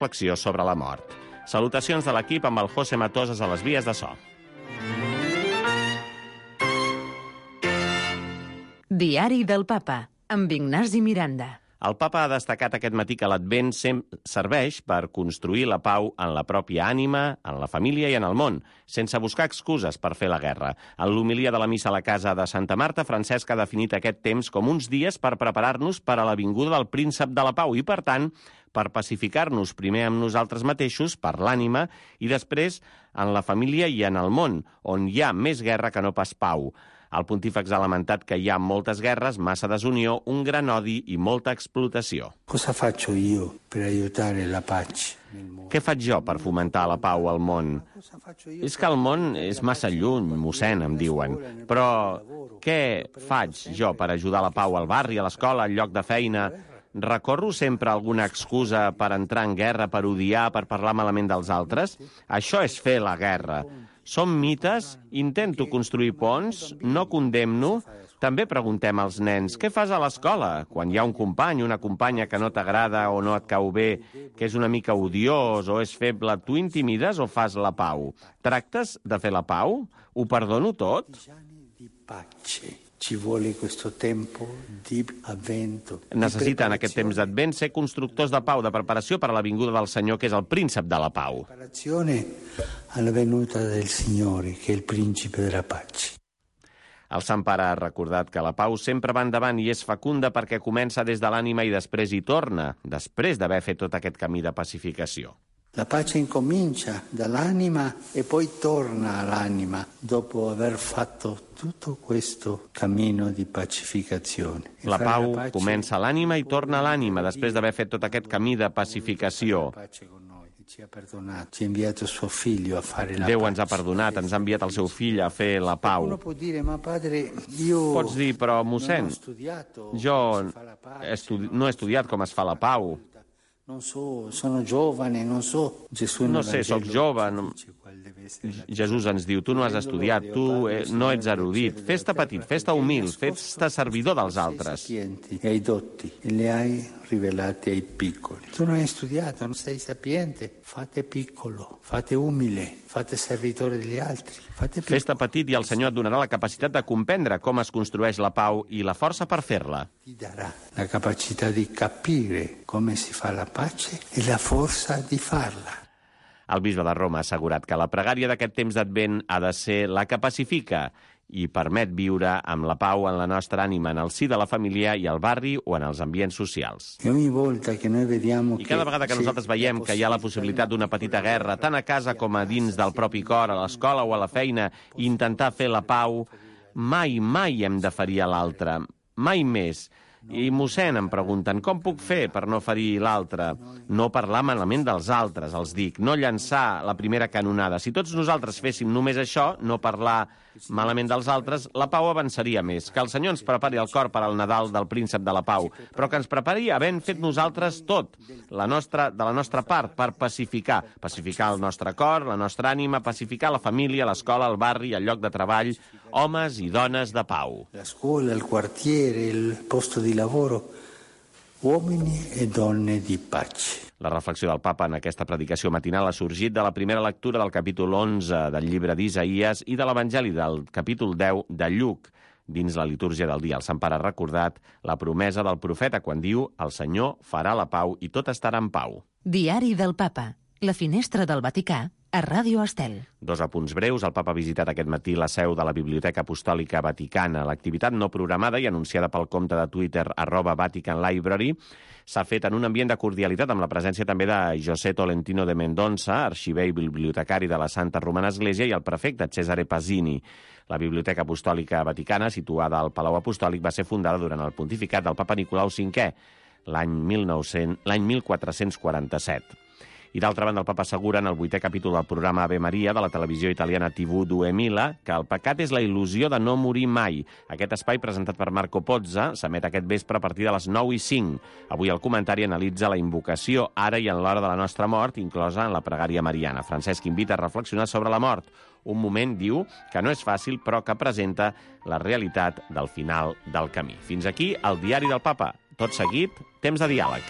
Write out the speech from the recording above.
reflexió sobre la mort. Salutacions de l'equip amb el José Matosas a les vies de so. Diari del Papa, amb Ignasi Miranda. El papa ha destacat aquest matí que l'Advent serveix per construir la pau en la pròpia ànima, en la família i en el món, sense buscar excuses per fer la guerra. En l'homilia de la missa a la casa de Santa Marta, Francesc ha definit aquest temps com uns dies per preparar-nos per a la vinguda del príncep de la pau i, per tant, per pacificar-nos primer amb nosaltres mateixos, per l'ànima, i després en la família i en el món, on hi ha més guerra que no pas pau. El pontífex ha lamentat que hi ha moltes guerres, massa desunió, un gran odi i molta explotació. Cosa faccio io per aiutare la pace? Què faig jo per fomentar la pau al món? És que el món és massa lluny, mossèn, em diuen. Però què faig jo per ajudar la pau al barri, a l'escola, al lloc de feina? Recorro sempre alguna excusa per entrar en guerra, per odiar, per parlar malament dels altres? Això és fer la guerra. Som mites, intento construir ponts, no condemno. També preguntem als nens, què fas a l'escola? Quan hi ha un company, una companya que no t'agrada o no et cau bé, que és una mica odiós o és feble, tu intimides o fas la pau? Tractes de fer la pau? Ho perdono tot? Ci vuole questo tempo di avvento. Necessiten aquest temps d'advent ser constructors de pau, de preparació per a la vinguda del Senyor, que és el príncep de la pau. Preparazione alla venuta del Signore, che è il principe della pace. El Sant Pare ha recordat que la pau sempre va endavant i és fecunda perquè comença des de l'ànima i després hi torna, després d'haver fet tot aquest camí de pacificació. La pace incomincia dall'anima e poi torna all'anima dopo aver fatto tutto questo cammino di pacificazione. La pau comença a l'ànima i torna a l'ànima després d'haver fet tot aquest camí de pacificació. Ci ha perdonat, ci ha inviato suo figlio a fare la Déu ens ha perdonat, ens ha enviat el seu fill a fer la pau. Uno può dire, ma padre, io Pots dir, però mossèn, jo no he estudiat com es fa la pau. Non so, sono giovane, non so. Gesù No sé, sóc jove. Jesús ens diu, tu no has estudiat, tu no ets erudit. Fes-te petit, fes-te humil, fes-te servidor dels altres. E ai dotti, e le hai rivelati ai piccoli. Tu non hai studiato, non sei sapiente, fate piccolo, fate umile, fate servitore degli altri, fate piccolo. Fes-te petit i el Senyor et donarà la capacitat de comprendre com es construeix la pau i la força per fer-la. Ti darà la capacità di capire come si fa la pace e la forza di farla. El bisbe de Roma ha assegurat que la pregària d'aquest temps d'Advent ha de ser la que pacifica i permet viure amb la pau en la nostra ànima, en el si de la família i al barri o en els ambients socials. I cada vegada que nosaltres veiem que hi ha la possibilitat d'una petita guerra, tant a casa com a dins del propi cor, a l'escola o a la feina, i intentar fer la pau, mai hem de ferir a l'altre, mai més. I mossèn em pregunten, com puc fer per no ferir l'altre? No parlar malament dels altres, els dic, no llançar la primera canonada. Si tots nosaltres féssim només això, no parlar malament dels altres, la pau avançaria més. Que el Senyor ens prepari el cor per al Nadal del príncep de la pau, però que ens prepari havent fet nosaltres tot, de la nostra part, per pacificar el nostre cor, la nostra ànima, pacificar la família, l'escola, el barri, el lloc de treball, homes i dones de pau. La scuola, il quartiere, il posto di lavoro, uomini e donne di pace. La reflexió del papa en aquesta predicació matinal ha sorgit de la primera lectura del capítol 11 del llibre d'Isaïes i de l'Evangeli del capítol 10 de Lluc. Dins la litúrgia del dia, el Sant Pare ha recordat la promesa del profeta quan diu «El Senyor farà la pau i tot estarà en pau». Diari del Papa, la finestra del Vaticà, a Ràdio Estel. Dos apunts breus. El papa ha visitat aquest matí la seu de la Biblioteca Apostòlica Vaticana. L'activitat no programada i anunciada pel compte de Twitter @VaticanLibrary s'ha fet en un ambient de cordialitat amb la presència també de José Tolentino de Mendonça, arxiver i bibliotecari de la Santa Romana Església, i el prefecte Cesare Pasini. La Biblioteca Apostòlica Vaticana, situada al Palau Apostòlic, va ser fundada durant el pontificat del papa Nicolau V, l'any 1447. I d'altra banda, el papa assegura en el 8è capítol del programa Ave Maria de la televisió italiana TV 2000 que el pecat és la il·lusió de no morir mai. Aquest espai, presentat per Marco Pozza, s'emet aquest vespre a partir de les 9:05. Avui el comentari analitza la invocació ara i en l'hora de la nostra mort, inclosa en la pregària mariana. Francesc invita a reflexionar sobre la mort. Un moment, diu, que no és fàcil, però que presenta la realitat del final del camí. Fins aquí el Diari del Papa. Tot seguit, temps de diàleg.